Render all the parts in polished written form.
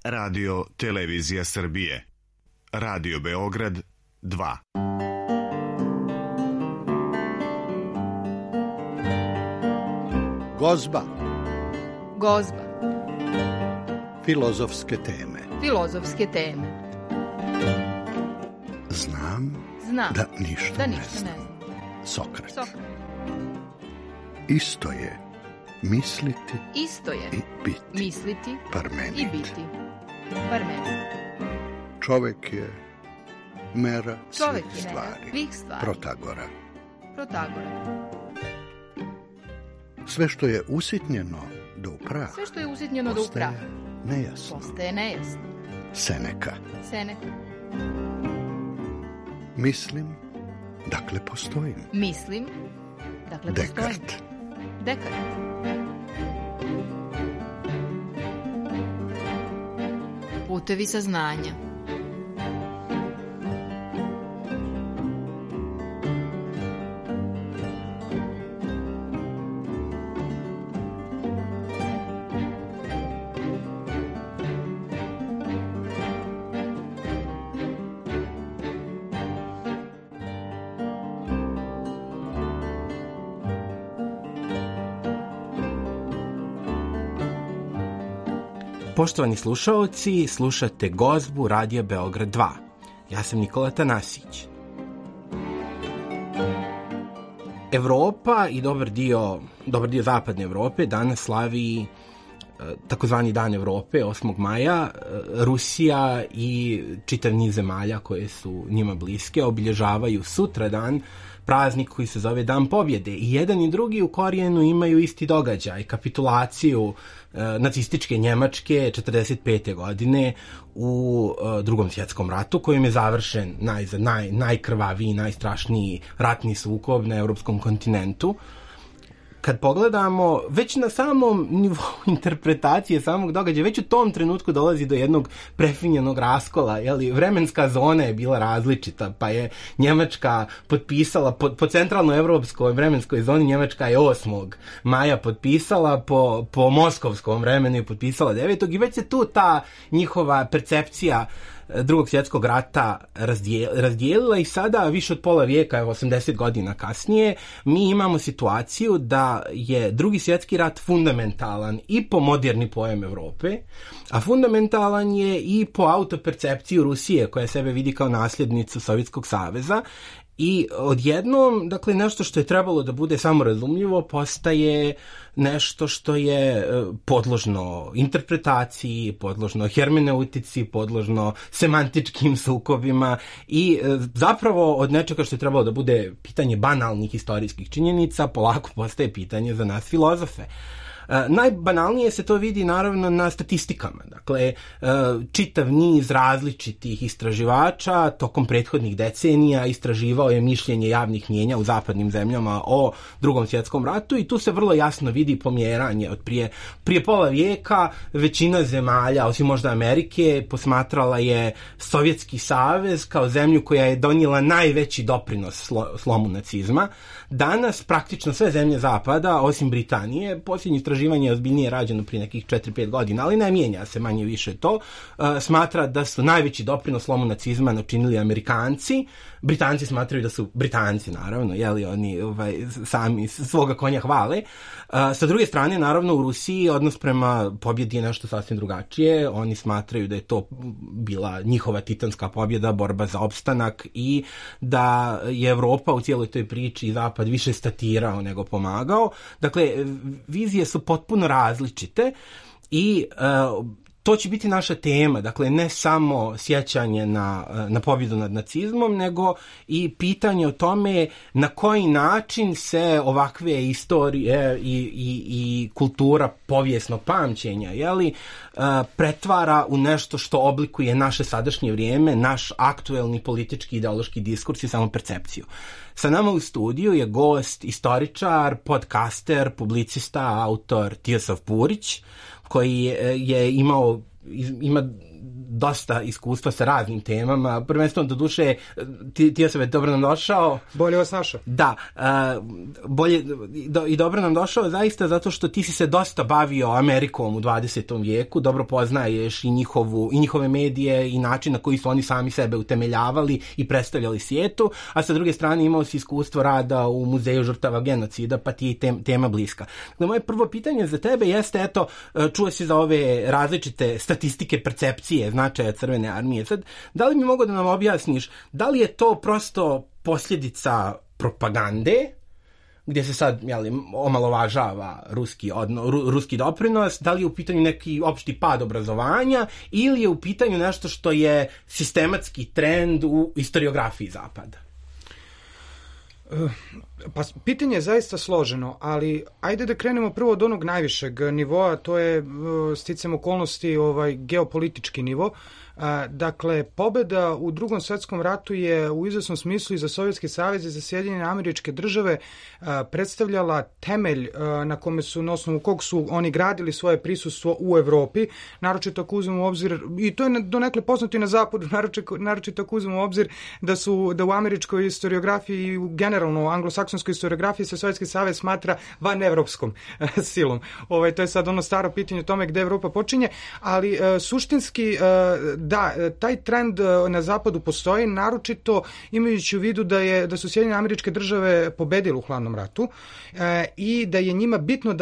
Radio Televizija Srbije. Radio Beograd 2. Gozba. Gozba. Filozofske teme. Filozofske teme. Znam da ništa ne znam. Sokrat. Isto je misliti i biti. Misliti Parmenid. i biti. Parmenid. Čovjek je mera svih stvari. Protagora. Sve što je usitnjeno do prah. Postaje nejasno. Seneka. Mislim, dakle postojim. Dekart. Putevi saznanja. Poštovani slušaoci, slušate Gozbu Radija Beograd 2. Ja sam Nikola Tanasić. Evropa i dobar dio zapadne Evrope danas slavi takozvani Dan Evrope, 8. maja. Rusija i čitav niz zemalja koje su njima bliske obilježavaju sutradan praznik koji se zove Dan pobjede. I jedan i drugi u korijenu imaju isti događaj, kapitulaciju nacističke Njemačke 1945. godine u Drugom svjetskom ratu, kojim je završen najkrvaviji, najstrašniji ratni sukob na europskom kontinentu. Kad pogledamo, već na samom nivou interpretacije samog događaja, već u tom trenutku dolazi do jednog prefinjenog raskola, vremenska zona je bila različita, pa je Njemačka potpisala, po centralnoevropskoj vremenskoj zoni Njemačka je 8. maja potpisala, po moskovskom vremenu je potpisala 9. i već se tu ta njihova percepcija Drugog svjetskog rata razdijelila i sada, više od pola vijeka, 80 godina kasnije, mi imamo situaciju da je Drugi svjetski rat fundamentalan i po moderni pojam Evrope, a fundamentalan je i po autopercepciju Rusije, koja sebe vidi kao nasljednicu Sovjetskog saveza. I odjednom, dakle, nešto što je trebalo da bude samorazumljivo postaje nešto što je podložno interpretaciji, podložno hermeneutici, podložno semantičkim sukobima i zapravo od nečega što je trebalo da bude pitanje banalnih istorijskih činjenica, polako postaje pitanje za nas filozofe. Najbanalnije se to vidi naravno na statistikama. Dakle, čitav niz različitih istraživača tokom prethodnih decenija istraživao je mišljenje javnih mnijenja u zapadnim zemljama o Drugom svjetskom ratu i tu se vrlo jasno vidi pomjeranje od prije pola vijeka. Većina zemalja, osim možda Amerike, posmatrala je Sovjetski savez kao zemlju koja je donijela najveći doprinos slomu nacizma. Danas praktično sve zemlje zapada, osim Britanije, posljednje istraživanje je ozbiljnije rađeno prije nekih 4-5 godina, ali ne mijenja se manje više to, smatra da su najveći doprinos slomu nacizma načinili Amerikanci. Britanci smatraju da su Britanci, naravno, oni sami svoga konja hvale. Sa druge strane, naravno, u Rusiji odnos prema pobjedi je nešto sasvim drugačije. Oni smatraju da je to bila njihova titanska pobjeda, borba za opstanak i da je Evropa u cijeloj toj priči i Zapad više statirao nego pomagao. Dakle, vizije su potpuno različite i to će biti naša tema, dakle ne samo sjećanje na pobjedu nad nacizmom, nego i pitanje o tome na koji način se ovakve istorije i kultura povijesnog pamćenja pretvara u nešto što oblikuje naše sadašnje vrijeme, naš aktuelni politički ideološki diskurs i samopercepciju. Sa nama u studiju je gost, istoričar, podcaster, publicista, autor Tiosaf Purić, koji ima dosta iskustva sa raznim temama, prvenstveno do duše ti ja sam dobro nam došao. Bolje vas našao. Da, bolje i dobro nam došao zaista zato što ti si se dosta bavio Amerikom u 20. vijeku, dobro poznaješ i njihove medije i način na koji su oni sami sebe utemeljavali i predstavljali svijetu, a sa druge strane imao si iskustvo rada u Muzeju žrtava genocida, pa ti je tema bliska. Dakle, moje prvo pitanje za tebe jeste, eto, čuo si za ove različite statistike percepcije značaja Crvene armije. Sad, da li mi mogu da nam objasniš, da li je to prosto posljedica propagande, gdje se sad omalovažava ruski doprinos, da li je u pitanju neki opšti pad obrazovanja ili je u pitanju nešto što je sistematski trend u istoriografiji Zapada? Pa pitanje je zaista složeno, ali ajde da krenemo prvo od onog najvišeg nivoa, to je sticam okolnosti geopolitički nivo. Dakle, pobjeda u Drugom svjetskom ratu je u izvesnom smislu i za Sovjetski savez i za Sjedinjene Američke Države predstavljala temelj na osnovu kog su oni gradili svoje prisustvo u Evropi, naročito ako uzmemo u obzir, i to je donekle poznato i na zapadu, naročito ako uzmemo u obzir da u američkoj historiografiji i generalno u anglosaksonskoj historiografiji se Sovjetski savez smatra vanevropskom silom. To je sad ono staro pitanje o tome gde Evropa počinje, ali suštinski da, taj trend na zapadu postoji, naročito imajući u vidu da su Sjedinjene Američke Države pobedile u hladnom ratu i da je njima bitno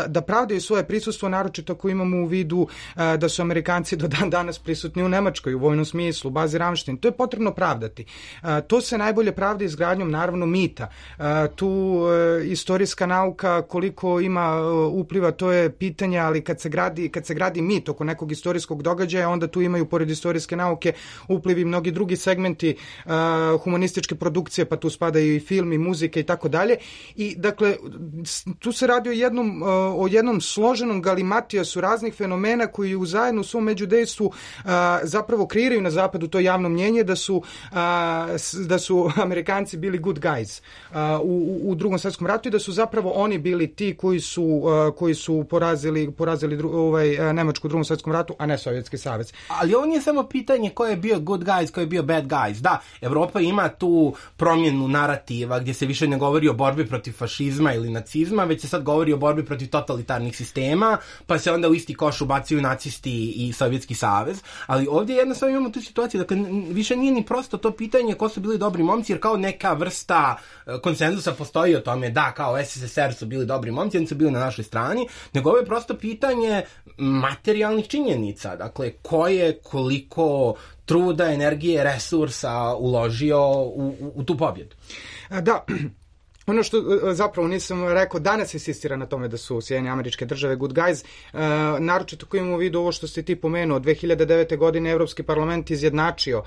da pravdaju svoje prisustvo, naročito ako imamo u vidu da su Amerikanci do dan danas prisutni u Nemačkoj u vojnom smislu, u bazi Ramštajn. To je potrebno pravdati. To se najbolje pravda izgradnjom naravno mita. Tu istorijska nauka koliko ima upliva, to je pitanje, ali kad se gradi mit oko nekog istorijskog događaja, onda tu imaju pored istorijske nauke uplivi mnogi drugi segmenti humanističke produkcije, pa tu spadaju i film i muzika i tako dalje. I dakle, tu se radi o jednom složenom galimatijasu raznih fenomena koji zajedno u svom međudejstvu zapravo kreiraju na zapadu to javno mnjenje da su Amerikanci bili good guys u Drugom svjetskom ratu i da su zapravo oni bili ti koji su porazili Nemačku u Drugom svjetskom ratu, a ne Sovjetski savez. Ali ovo nije samo pitanje ko je bio good guys, ko je bio bad guys. Da, Evropa ima tu promjenu narativa gdje se više ne govori o borbi protiv fašizma ili nacizma, već se sad govori o borbi protiv totalitarnih sistema, pa se onda u isti koš ubacuju nacisti i Sovjetski savez. Ali ovdje jednostavno imamo tu situaciju, dakle, više nije ni prosto to pitanje ko su bili dobri momci, jer kao neka vrsta konsenzusa postoji o tome da kao SSSR su bili dobri momci, oni su bili na našoj strani, nego ovo je prosto pitanje materijalnih činjenica, dakle, ko je koliko truda, energije, resursa uložio u tu pobjedu. Da, ono što zapravo nisam rekao, danas insistira na tome da su Sjedinjene Američke Države good guys, naročito ako imamo u vidu ovo što ste ti pomenuo, 2009. godine Evropski parlament izjednačio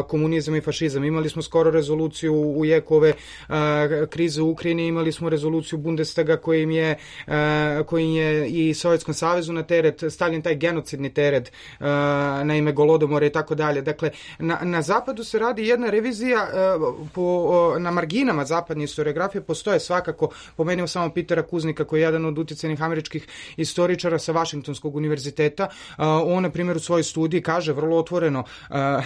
komunizam i fašizam. Imali smo skoro rezoluciju u jeku ove krize u Ukrajini, imali smo rezoluciju Bundestaga kojim je i Sovjetskom savezu na teret stavljen taj genocidni teret na ime Golodomora i tako dalje. Dakle, na zapadu se radi jedna revizija na marginama zapadne historiografije. Postoje svakako, pomenuo samo Petera Kuznika koji je jedan od utjecajnih američkih istoričara sa Vašingtonskog univerziteta. On, na primjer, u svojoj studiji kaže vrlo otvoreno,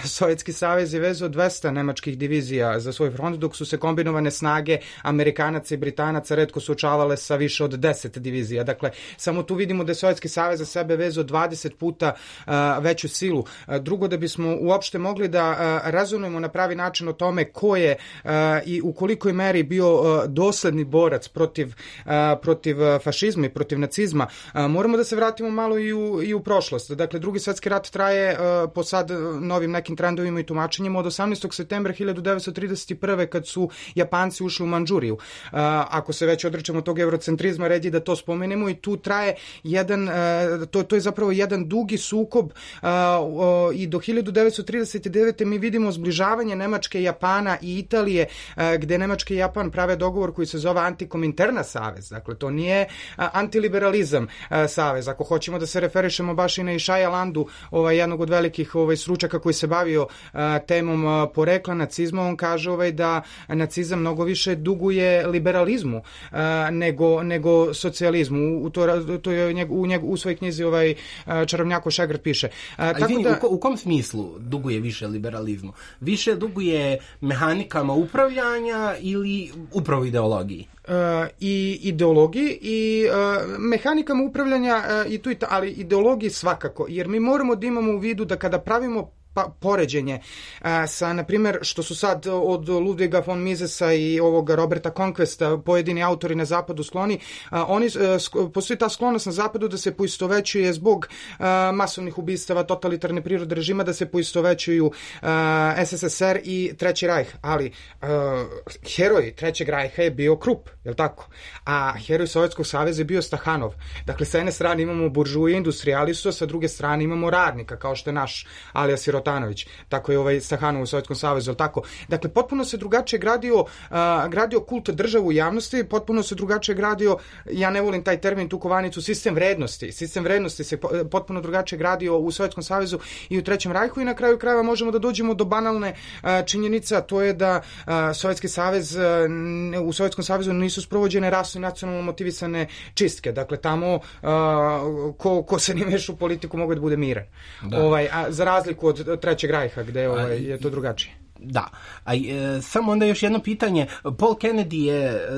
Sovjetski savez je vezao 200 nemačkih divizija za svoj front, dok su se kombinovane snage Amerikanaca i Britanaca retko suočavale sa više od 10 divizija. Dakle, samo tu vidimo da je Sovjetski savez za sebe vezao 20 puta veću silu. Drugo, da bismo uopšte mogli da rezonujemo na pravi način o tome ko je i u kolikoj meri bio dosledni borac protiv fašizma i protiv nacizma, moramo da se vratimo malo i u prošlost. Dakle, Drugi svjetski rat traje po sad novim nekim trendovima i tumačenjima od 18. septembra 1931. kad su Japanci ušli u Mandžuriju. Ako se već odrećemo tog eurocentrizma, red je da to spomenemo i tu traje to je zapravo jedan dugi sukob i do 1939. mi vidimo zbližavanje Nemačke, Japana i Italije, gde Nemačka i Japan prave dogovor koji se zove Antikominterna savez. Dakle, to nije antiliberalizam savez. Ako hoćemo da se referišemo baš i na Išaja Landu, jednog od velikih stručaka koji se bavio temom porekla nacizma, on kaže da nacizam mnogo više duguje liberalizmu nego socijalizmu. To je u svojoj knjizi Čarobnjako Šegrt piše. U kom smislu duguje više liberalizmu? Više duguje mehanikama upravljanja ili upravo ideologiji? I ideologiji i mehanikama upravljanja, ali ideologiji svakako, jer mi moramo da imamo u vidu da kada pravimo poređenje sa, na primjer, što su sad od Ludviga von Misesa i ovoga Roberta Conquesta pojedini autori na zapadu skloni, postoji ta sklonost na zapadu da se poistovećuje zbog masovnih ubistava, totalitarne prirode režima, da se poistovećuju SSSR i Treći rajh, ali heroj Trećeg rajha je bio Krupp, je li tako? A heroj Sovjetskog saveza je bio Stahanov. Dakle, sa jedne strane imamo buržuje, industrialistu, sa druge strane imamo radnika, kao što je naš Alija Sirotanović, tako je Stahanov u Sovjetskom savezu, tako. Dakle, potpuno se drugačije gradio kult države u javnosti, potpuno se drugačije gradio, ja ne volim taj termin, tu kovanicu, sistem vrednosti. Sistem vrednosti se potpuno drugačije gradio u Sovjetskom savezu i u Trećem rajhu i na kraju krajeva možemo da dođemo do banalne činjenice, a to je da u Sovjetskom savezu nisu sprovođene rasno i nacionalno motivisane čistke. Dakle, tamo ko se ne meša u politiku mogu da bude miran. Za razliku od Trećeg rajha, gde je to drugačije. Da, samo onda još jedno pitanje. Paul Kennedy je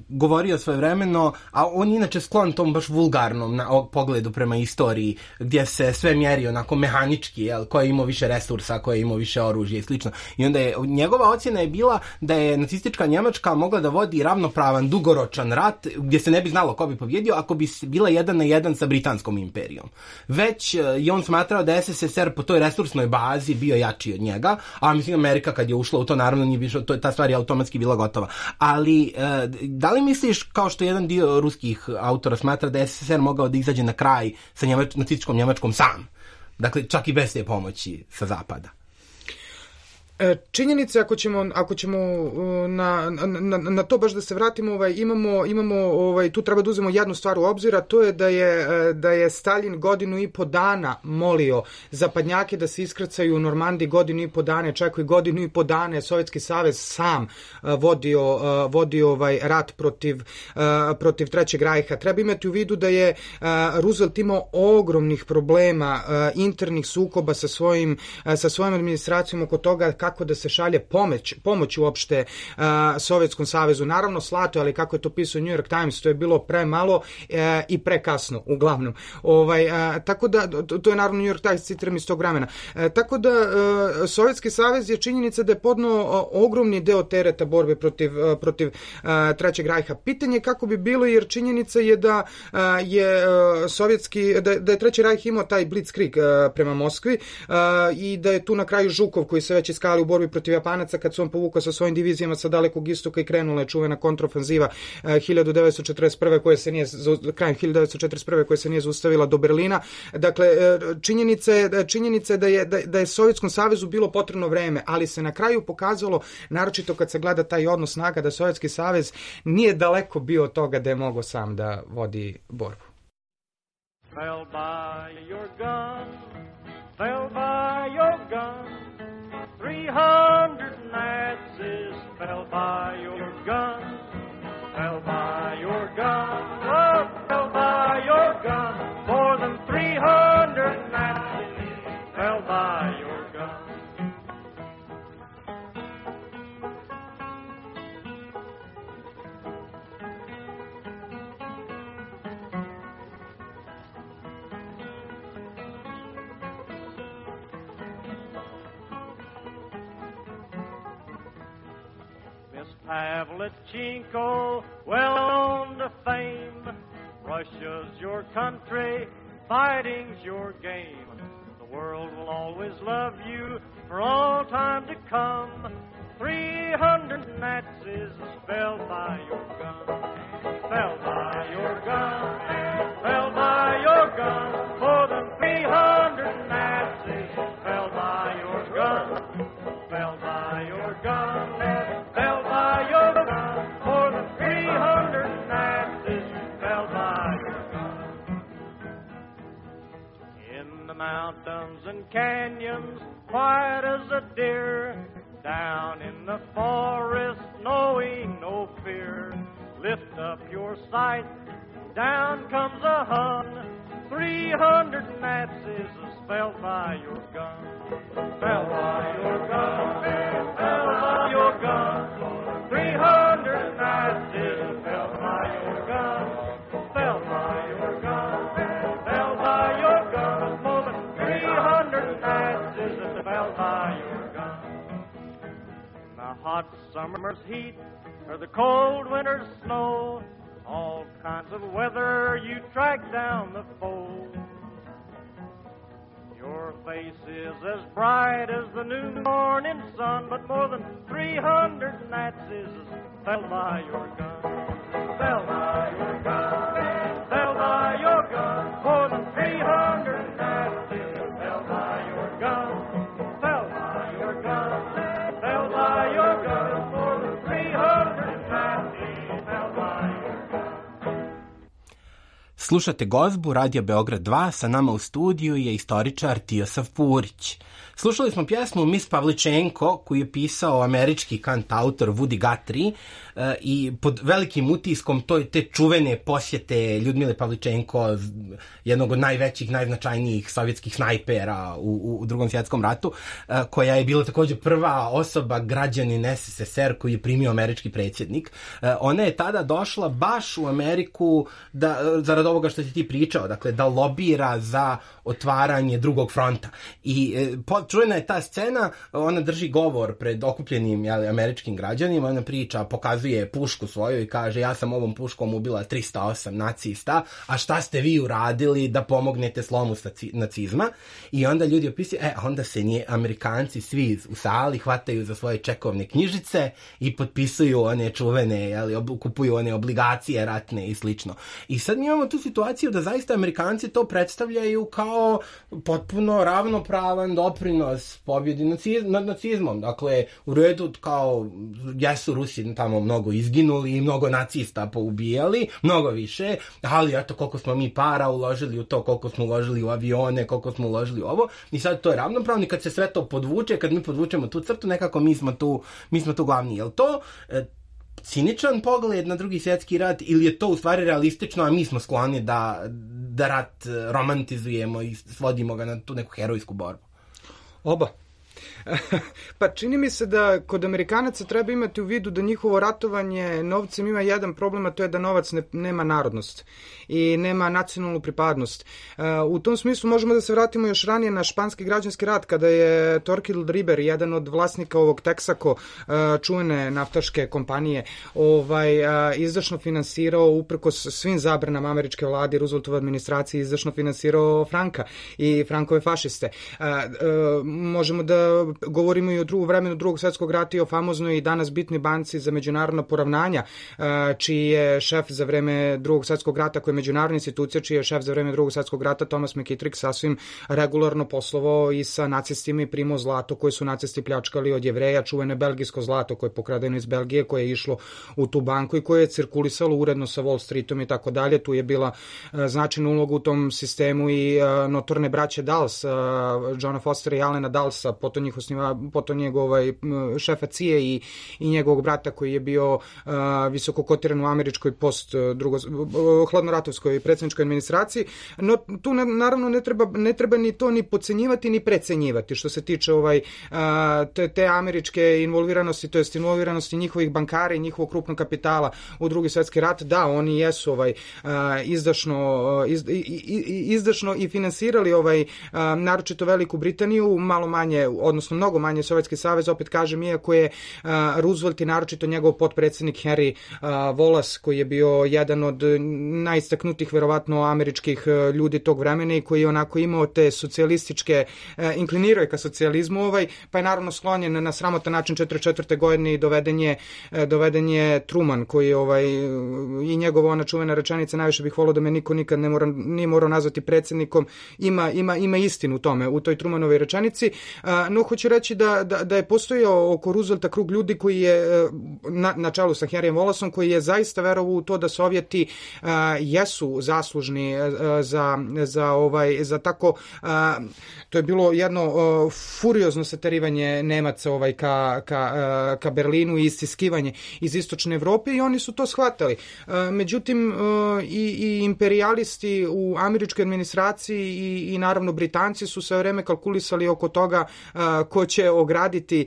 govorio svojevremeno, a on inače sklon tom baš vulgarnom pogledu prema istoriji, gdje se sve mjeri onako mehanički, ko je imao više resursa, ko je imao više oružja i slično. I onda njegova ocjena je bila da je nacistička Njemačka mogla da vodi ravnopravan, dugoročan rat, gdje se ne bi znalo ko bi pobjedio, ako bi bila 1:1 sa Britanskom imperijom. Već je on smatrao da SSSR po toj resursnoj bazi bio jači od njega, a mislim Amerika kad je ušla u to, naravno nije više, ta stvar je automatski bila gotova. Ali da li misliš, kao što jedan dio ruskih autora smatra, da je SSSR mogao da izađe na kraj sa nacističkom Njemačkom sam? Dakle, čak i bez te pomoći sa zapada. Činjenice, ako ćemo na to baš da se vratimo, imamo tu treba da uzmemo jednu stvar u obzir, a to je da je Stalin 1,5 godina molio zapadnjake da se iskrcaju u Normandiji 1,5 godina, čak i 1,5 godina je Sovjetski savez sam vodio rat protiv Trećeg rajha. Treba imati u vidu da je Roosevelt imao ogromnih problema, internih sukoba sa svojom administracijom oko toga kako da se šalje pomoć uopšte Sovjetskom savezu. Naravno slato, ali kako je to pisao New York Times, to je bilo premalo i prekasno, uglavnom. Tako da, to je naravno New York Times, citiram iz tog vremena. Tako da, Sovjetski savez je činjenica da je podno ogromni deo tereta borbe protiv Trećeg rajha. Pitanje kako bi bilo, jer činjenica je da je Treći rajh imao taj blitzkrieg prema Moskvi i da je tu na kraju Žukov, koji se već iskali u borbi protiv Japanaca, kad se on povukao sa svojim divizijama sa dalekog istoka i krenula je čuvena kontrofanziva 1941. krajem 1941. koja se nije zaustavila do Berlina. Dakle, činjenica je da je Sovjetskom savezu bilo potrebno vreme, ali se na kraju pokazalo, naročito kad se gleda taj odnos snaga, da Sovjetski savez nije daleko bio od toga da je mogao sam da vodi borbu. Fell by your gun, fell by your gun, 300 Nazis fell by your gun, fell by your gun, oh, fell by your gun, more than 300 Nazis fell by your gun. Pavlichenko, well known to fame. Russia's your country, fighting's your game. The world will always love you for all time to come. 300 Nazis fell by your gun, fell by your gun, fell by your gun. More than 300 Nazis fell by your gun, fell by your gun. Fell by your gun, more mountains and canyons, quiet as a deer, down in the forest, knowing no fear. Lift up your sight, down comes a Hun, 300 Nazis fell by your gun. Fell by your gun, fell by your gun, 300 Nazis fell by your gun, fell by your gun, fell by your gun, more than 300 Nazis fell by your gun. In the hot summer's heat or the cold winter's snow, all kinds of weather you track down the foe. Your face is as bright as the new morning sun, but more than 300 Nazis fell by your gun. Fell by your gun, fell by your gun, more than 300 Nazis fell by your gun. Fell by your gun, fell by your gun, more than 300 Nazis fell by your gun. Slušate Gozbu, Radio Beograd 2, sa nama u studiju je istoričar Tijosav Purić. Slušali smo pjesmu Miss Pavličenko, koju je pisao američki kantautor Woody Guthrie i pod velikim utiskom te čuvene posjete Ljudmile Pavličenko, jednog od najvećih, najznačajnijih sovjetskih snajpera u Drugom svjetskom ratu, koja je bila također prva osoba, građanin SSSR koji je primio američki predsjednik. Ona je tada došla baš u Ameriku zarad ovoga što si ti pričao, dakle da lobira za otvaranje drugog fronta. I čujena je ta scena, ona drži govor pred okupljenim američkim građanima, ona priča, pokazuje pušku svoju i kaže: ja sam ovom puškom ubila 308 nacista, a šta ste vi uradili da pomognete slomu nacizma? I onda ljudi opisuju, onda se Amerikanci svi u sali hvataju za svoje čekovne knjižice i potpisuju one čuvene, kupuju one obligacije ratne i slično. I sad mi imamo tu situaciju da zaista Amerikanci to predstavljaju kao potpuno ravnopravan doprinos pobjedi nad nacizmom. Dakle, u redu, kao jesu Rusi tamo mnogo izginuli i mnogo nacista poubijali, mnogo više, ali eto koliko smo mi para uložili u to, koliko smo uložili u avione, koliko smo uložili u ovo, i sad to je ravnopravno. I kad se sve to podvuče, kad mi podvučemo tu crtu, nekako mi smo tu glavni. Je li to ciničan pogled na Drugi svjetski rat ili je to u stvari realistično, a mi smo skloni da rat romantizujemo i svodimo ga na tu neku herojsku borbu? Oba. Pa čini mi se da kod Amerikanaca treba imati u vidu da njihovo ratovanje novcem ima jedan problem, a to je da novac nema narodnost i nema nacionalnu pripadnost. U tom smislu možemo da se vratimo još ranije na španski građanski rat, kada je Torquil Riber, jedan od vlasnika ovog Texaco, čuvene naftaške kompanije, izdašno finansirao, uprkos svim zabranama američke vlade, Rooseveltove administracije, izdašno finansirao Franka i Frankove fašiste. Možemo da govorimo i o vremenu Drugog svjetskog rata i o famoznoj i danas bitnoj banci za međunarodna poravnanja, čiji je šef za vreme Drugog svjetskog rata, koja je međunarodna institucija, čiji je šef za vreme Drugog svjetskog rata, Thomas McKittrick, sasvim regularno poslovao i sa nacistima i primao zlato koje su nacisti pljačkali od Jevreja, čuvene belgijsko zlato koje je pokradeno iz Belgije, koje je išlo u tu banku i koje je cirkulisalo uredno sa Wall Streetom i tako dalje. Tu je bila značajna uloga u tom sistemu i notorne braće Dulles, Johna Fostera i Allena Dullesa, potom njegov šefa CIA i njegovog brata koji je bio visoko kotiran u američkoj hladnoratovskoj predsjedničkoj administraciji. No tu naravno ne treba ni to ni podcenjivati ni precenjivati što se tiče te američke involviranosti, to jest involviranosti njihovih bankara i njihovog krupnog kapitala u Drugi svjetski rat. Da, oni jesu izdašno i finansirali naročito Veliku Britaniju, malo manje, odnosno mnogo manje Sovjetski savez, opet kažem, iako je Roosevelt i naročito njegov potpredsjednik Henry Wallace, koji je bio jedan od najistaknutih verovatno američkih ljudi tog vremena i koji je onako imao te socijalističke, inklinirao je ka socijalizmu, pa je naravno sklonjen na sramotan način 1944. godine i doveden je Truman, koji i njegova ona čuvena rečenica, najviše bih volio da me niko nikad nije morao nazvati predsjednikom, ima istinu u toj Trumanovoj rečenici. No, hoću reći da je postojao oko Roosevelta krug ljudi koji je, na čelu sa Henryjem Wallaceom, koji je zaista verovao u to da Sovjeti jesu zaslužni za tako, to je bilo jedno furiozno saterivanje Nemaca ka Berlinu i istiskivanje iz istočne Evrope i oni su to shvatali. Međutim, i imperijalisti u američkoj administraciji i naravno Britanci su sve vreme kalkulisali oko toga ko će ograditi,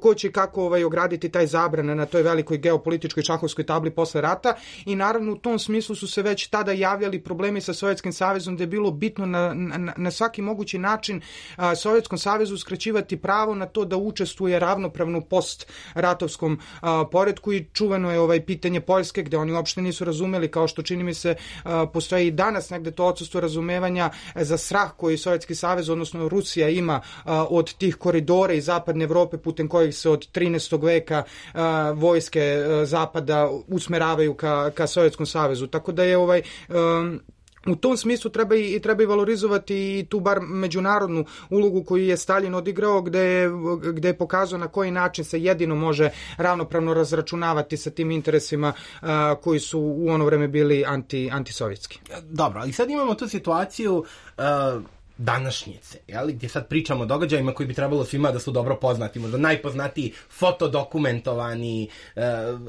ko će kako ograditi taj zabran na toj velikoj geopolitičkoj šahovskoj tabli posle rata i naravno u tom smislu su se već tada javljali problemi sa Sovjetskim savezom, da je bilo bitno na svaki mogući način Sovjetskom savezu uskraćivati pravo na to da učestvuje ravnopravno post-ratovskom poretku i čuveno je pitanje Poljske gde oni uopšte nisu razumeli, kao što čini mi se postoji i danas negde to odsustvo razumevanja za strah koji Sovjetski savez, odnosno Rusija ima od tih koridora iz zapadne Evrope putem kojih se od 13. veka vojske zapada usmeravaju ka Sovjetskom savezu. Tako da je u tom smislu treba i valorizovati i tu bar međunarodnu ulogu koju je Stalin odigrao, gde je pokazao na koji način se jedino može ravnopravno razračunavati sa tim interesima koji su u ono vreme bili antisovjetski. Dobro, ali sad imamo tu situaciju današnjice, gdje sad pričamo o događajima koji bi trebalo svima da su dobro poznati, možda najpoznatiji fotodokumentovani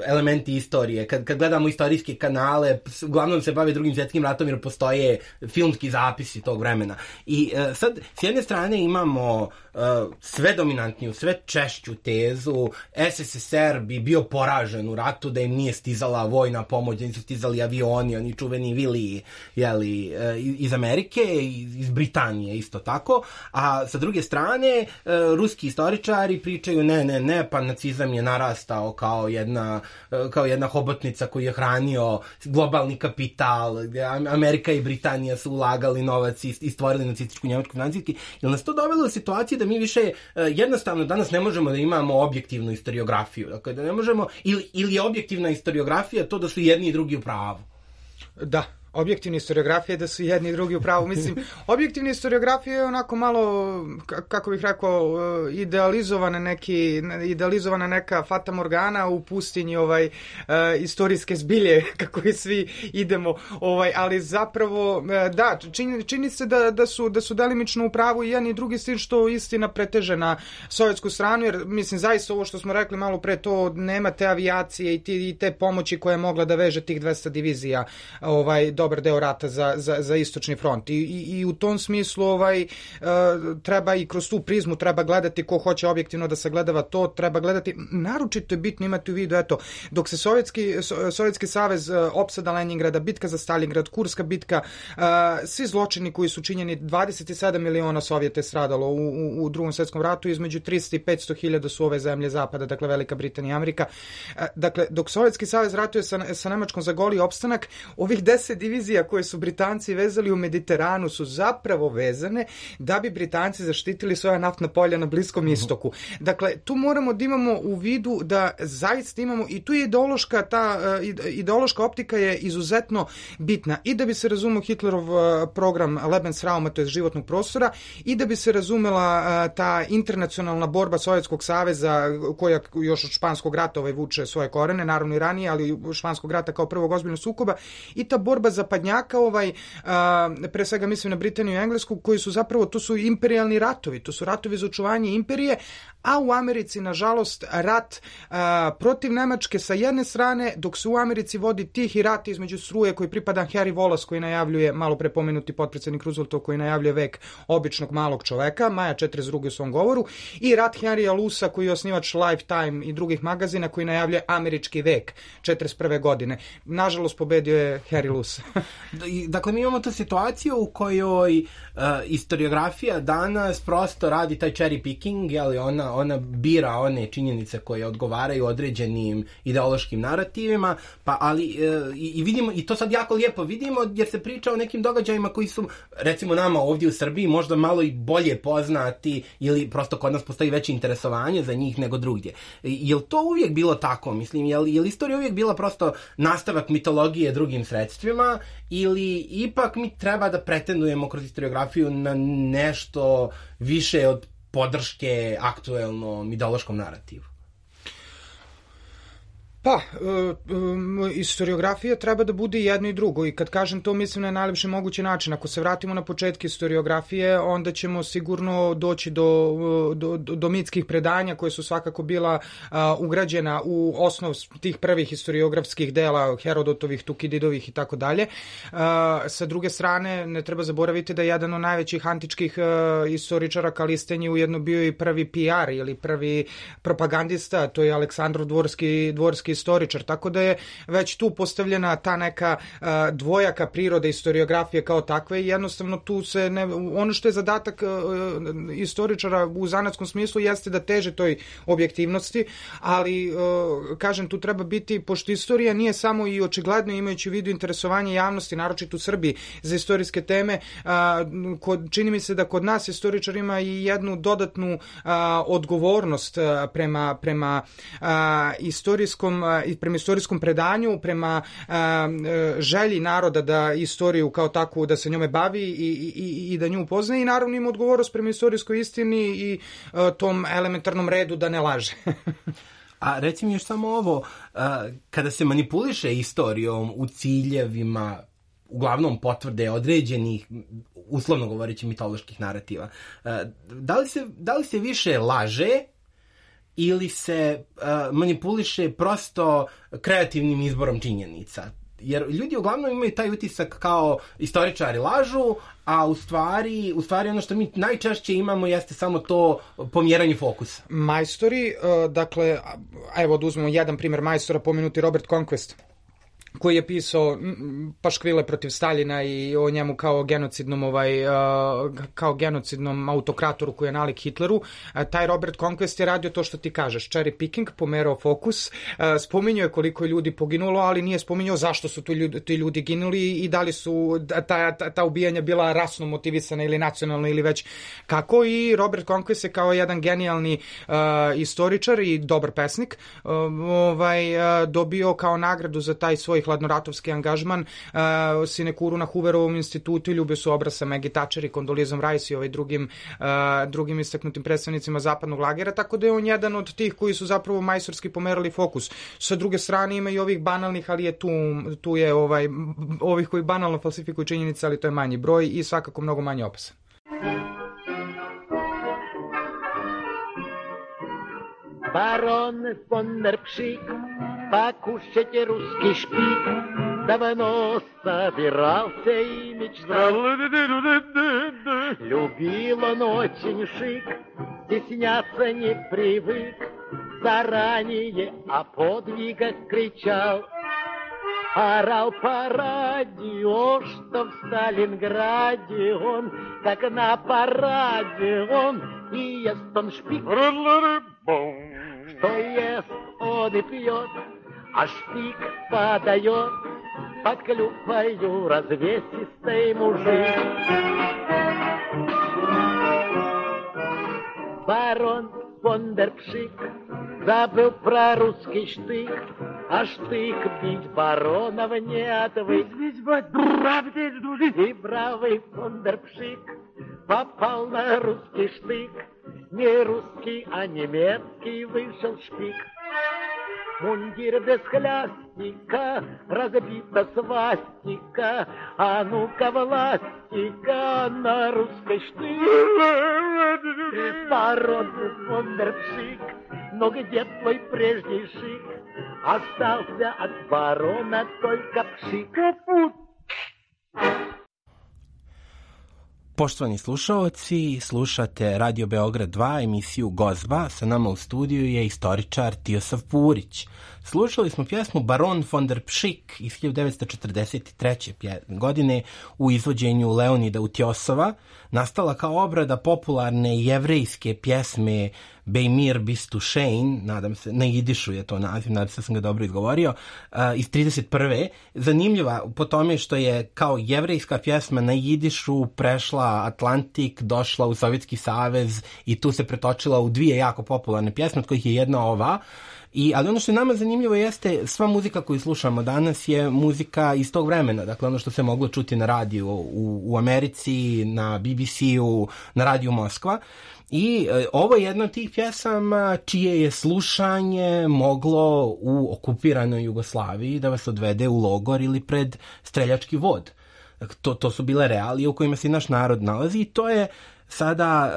elementi istorije. Kad gledamo istorijske kanale, uglavnom se bave Drugim svjetskim ratom jer postoje filmski zapisi tog vremena. I sad, s jedne strane imamo sve dominantniju, sve češću tezu SSSR bi bio poražen u ratu, da im nije stizala vojna pomoć, da nisu stizali avioni, oni čuveni Viliji iz Amerike, iz Britanije isto tako, a sa druge strane ruski istoričari pričaju ne, pa nacizam je narastao kao jedna hobotnica koju je hranio globalni kapital, Amerika i Britanija su ulagali novac i stvorili nacističku Njemačku financijski, jer nas to dovelo u situaciju da mi više jednostavno danas ne možemo da imamo objektivnu historiografiju, dakle da ne možemo, ili je objektivna historiografija to da su jedni i drugi u pravu. Da. Objektivna historiografija je da su jedni i drugi u pravu. Mislim, objektivna historiografija je onako malo, kako bih rekao, idealizovana neka Fata Morgana u pustinji istorijske zbilje, kako i svi idemo, ali zapravo, da, čini se da su delimično u pravu i jedan i drugi, s tim što istina preteže na sovjetsku stranu, jer mislim, zaista ovo što smo rekli malo pre, to nema te avijacije i te pomoći koja je mogla da veže tih 200 divizija dobar deo rata za istočni front. I u tom smislu treba i kroz tu prizmu treba gledati ko hoće objektivno da sagledava to, treba gledati, naročito je bitno imati u vidu, eto, dok se Sovjetski savez, opsada Leningrada, bitka za Stalingrad, Kurska bitka, svi zločini koji su činjeni, 27 miliona Sovjeta je stradalo u Drugom svjetskom ratu, između 300 i 500 hiljada su ove zemlje zapada, dakle Velika Britanija i Amerika. Dakle, dok Sovjetski savez ratuje sa Nemačkom za goli opstanak, ovih 10 divizija koje su Britanci vezali u Mediteranu su zapravo vezane da bi Britanci zaštitili svoja naftna polja na Bliskom istoku. Dakle, tu moramo da imamo u vidu da zaista imamo, i tu je ideološka optika je izuzetno bitna i da bi se razumio Hitlerov program Lebensrauma, to je životnog prostora, i da bi se razumela ta internacionalna borba Sovjetskog saveza koja još od Španskog rata vuče svoje korene, naravno i ranije, ali Španskog rata kao prvog ozbiljnog sukoba, i ta borba zapadnjaka, pre svega mislim na Britaniju i Englesku, koji su zapravo, to su imperijalni ratovi, to su ratovi za očuvanje imperije, a u Americi, nažalost, rat protiv Nemačke sa jedne strane, dok se u Americi vodi tihi rat između struje koji pripada Henry Wallace, koji najavljuje, malo pre pomenuti potpredsjednik Rooseveltov, koji najavljuje vek običnog malog čoveka, maja 42. u svom govoru, i rat Henrya Lusa, koji je osnivač Lifetime i drugih magazina, koji najavljuje američki vek 41. godine. Nažalost, pobedio je Henry Luce. Dakle, mi imamo tu situaciju u kojoj historiografija danas prosto radi taj cherry picking, ona bira one činjenice koje odgovaraju određenim ideološkim narativima, ali i vidimo, i to sad jako lijepo vidimo, jer se priča o nekim događajima koji su, recimo nama ovdje u Srbiji, možda malo i bolje poznati, ili prosto kod nas postoji veće interesovanje za njih nego drugdje. Je li to uvijek bilo tako? Mislim, je li istorija uvijek bila prosto nastavak mitologije drugim sredstvima, ili ipak mi treba da pretendujemo kroz historiografiju na nešto više od podrške aktuelnom ideološkom narativu? Pa, historiografija treba da bude jedno i drugo i kad kažem to mislim na najlepši mogući način. Ako se vratimo na početke historiografije, onda ćemo sigurno doći do mitskih predanja koje su svakako bila ugrađena u osnov tih prvih historiografskih dela, Herodotovih, Tukididovih i tako dalje. Sa druge strane, ne treba zaboraviti da je jedan od najvećih antičkih istoričara Kalisten je ujedno bio i prvi PR ili prvi propagandista, to je Aleksandrov dvorski istoričar, tako da je već tu postavljena ta neka dvojaka priroda historiografije kao takve i jednostavno tu se ono što je zadatak istoričara u zanatskom smislu jeste da teže toj objektivnosti, ali kažem tu treba biti, pošto istorija nije samo i očigledno imajući u vidu interesovanje javnosti, naročito u Srbiji za istorijske teme, čini mi se da kod nas istoričar ima i jednu dodatnu odgovornost prema istorijskom predanju, prema želji naroda da istoriju kao takvu, da se njome bavi i da nju upoznaje i naravno ima odgovornost prema istorijskoj istini i tom elementarnom redu da ne laže. A reci mi još samo ovo, kada se manipuliše istorijom u ciljevima uglavnom određenih, uslovno govoreći, mitoloških narativa, da li se više laže ili se manipuliše prosto kreativnim izborom činjenica? Jer ljudi uglavnom imaju taj utisak kao istoričari lažu, a u stvari ono što mi najčešće imamo jeste samo to pomjeranje fokusa. Majstori, dakle, evo da uzmemo jedan primjer majstora, pomenuti Robert Conquest, koji je pisao paškvile protiv Staljina i o njemu kao genocidnom autokratoru koji je nalik Hitleru. Taj Robert Conquest je radio to što ti kažeš, cherry picking, pomerao fokus, spominjao je koliko je ljudi poginulo, ali nije spominjao zašto su ti ljudi ginuli i da li su ta ubijanja bila rasno motivisana ili nacionalno ili već kako. I Robert Conquest je kao jedan genijalni istoričar i dobar pesnik dobio kao nagradu za taj svoj hladnoratovski angažman sinekuru na Hooverovom institutu i ljubio su obrasa Maggie Thatcher i Condoleezom Rice i drugim istaknutim predstavnicima zapadnog lagera, tako da je on jedan od tih koji su zapravo majstorski pomerali fokus. Sa druge strane ima i ovih banalnih, ali je tu je ovih koji banalno falsifikuju činjenice, ali to je manji broj i svakako mnogo manje opasan. Барон фон дер Пшик, покушайте русский шпик, давно собирался и мечтал. Любил он очень шик, стесняться не привык, заранее о подвигах кричал. Орал по радио, что в Сталинграде он, как на параде он, и ест он шпик. Что ест он и пьет, а шпик подает под клюквою развесистый мужик. Барон фон дер Пшик забыл про русский штык, а штык бить баронов не отвык. И бравый фон дер Пшик попал на русский штык. Не русский, а немецкий вышел шпик. Мундир без хлястика, разбита свастика, а ну-ка властика на русской штык. Барон фон дер Пшик, но где твой прежний шик? Остался от барона только пшик. Poštovani slušaoci, slušate Radio Beograd 2, emisiju Gozba. Sa nama u studiju je istoričar Tijosav Purić. Slušali smo pjesmu Baron von der Pšik iz 1943. godine u izvođenju Leonida Utjosova, nastala kao obrada popularne jevrejske pjesme Beimir Bistušein, nadam se, na jidišu je to naziv, nadam se da sam ga dobro izgovorio, iz 31. Zanimljiva po tome što je kao jevrejska pjesma na jidišu prešla Atlantik, došla u Sovjetski savez i tu se pretočila u dvije jako popularne pjesme, od kojih je jedna ova. Ali ono što je nama zanimljivo zanimljivo jeste, sva muzika koju slušamo danas je muzika iz tog vremena, dakle ono što se moglo čuti na radiju u Americi, na BBC-u, na radiju Moskva. I ovo je jedna od tih pjesama čije je slušanje moglo u okupiranoj Jugoslaviji da vas odvede u logor ili pred streljački vod. To su bile realije u kojima se naš narod nalazi i to je sada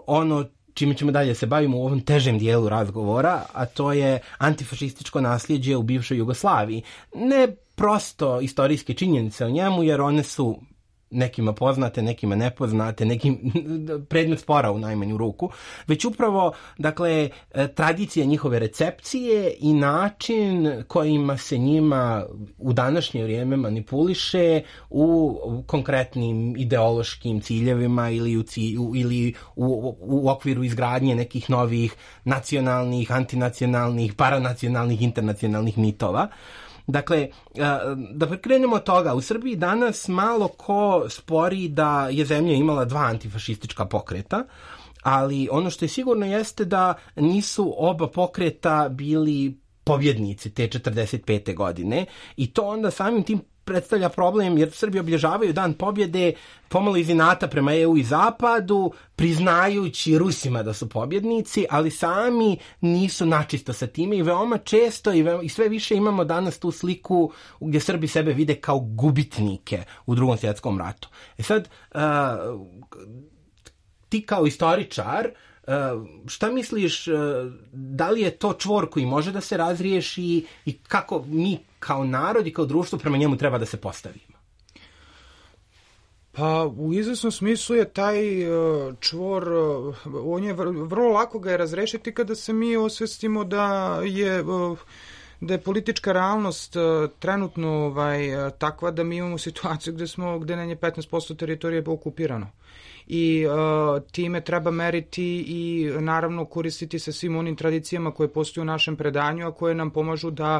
ono čime ćemo dalje se bavimo u ovom težem dijelu razgovora, a to je antifašističko nasljeđe u bivšoj Jugoslaviji. Ne prosto istorijske činjenice o njemu, jer one su nekima poznate, nekima nepoznate, nekim predmet spora u najmanju ruku, već upravo, dakle, tradicija njihove recepcije i način kojima se njima u današnje vrijeme manipuliše u konkretnim ideološkim ciljevima ili u okviru izgradnje nekih novih nacionalnih, antinacionalnih, paranacionalnih, internacionalnih mitova. Dakle, da krenemo od toga, u Srbiji danas malo ko spori da je zemlja imala 2 antifašistička pokreta, ali ono što je sigurno jeste da nisu oba pokreta bili pobjednici te 45. godine i to onda samim tim predstavlja problem, jer Srbi obilježavaju Dan pobjede pomalo iz inata prema EU i Zapadu, priznajući Rusima da su pobjednici, ali sami nisu načisto sa time i veoma često i sve više imamo danas tu sliku gdje Srbi sebe vide kao gubitnike u Drugom svjetskom ratu. Sad, ti kao istoričar, šta misliš, da li je to čvor koji može da se razriješi i kako mi kao narod i kao društvo prema njemu treba da se postavimo? Pa u izvesnom smislu je taj čvor, on je vrlo lako ga je razrešiti kada se mi osvestimo da je politička realnost trenutno takva da mi imamo situaciju gde nam je 15% teritorije okupirano. I time treba meriti i naravno koristiti se svim onim tradicijama koje postoje u našem predanju, a koje nam pomažu da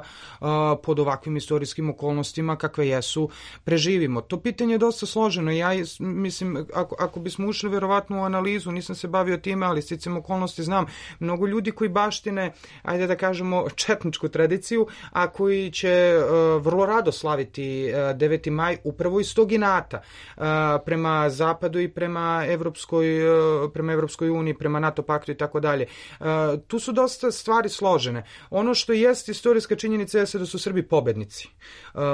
pod ovakvim istorijskim okolnostima kakve jesu preživimo. To pitanje je dosta složeno. Ja mislim, ako bismo ušli verovatno u analizu, nisam se bavio time, ali sticam okolnosti znam mnogo ljudi koji baštine, ajde da kažemo, četničku tradiciju, a koji će vrlo rado slaviti 9. maj upravo iz tog inata prema Zapadu i prema Evropskoj uniji, prema NATO paktu i tako dalje. Tu su dosta stvari složene. Ono što jest istorijska činjenica je da su Srbi pobednici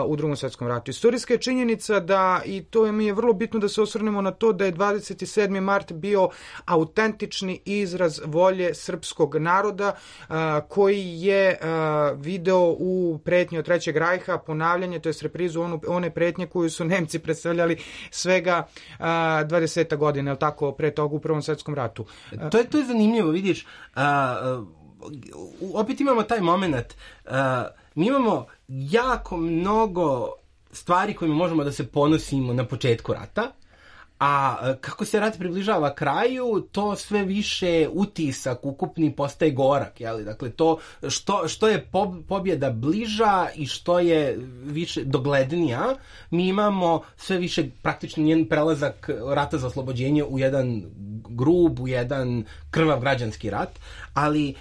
u Drugom svjetskom ratu. Istorijska je činjenica da, i to mi je vrlo bitno da se osvrnemo na to, da je 27. mart bio autentični izraz volje srpskog naroda koji je video u pretnji od Trećeg rajha ponavljanje, to je reprizu one pretnje koju su Nemci predstavljali svega 20 godina, je tako, pre toga u Prvom svjetskom ratu. To je zanimljivo, vidiš, opet imamo taj moment, mi imamo jako mnogo stvari kojima možemo da se ponosimo na početku rata, a kako se rat približava kraju, to sve više utisak ukupni postaje gorak, jeli? Dakle, to što je pobjeda bliža i što je više doglednija, mi imamo sve više praktično njen prelazak rata za oslobođenje u jedan grub, u jedan krvav građanski rat, ali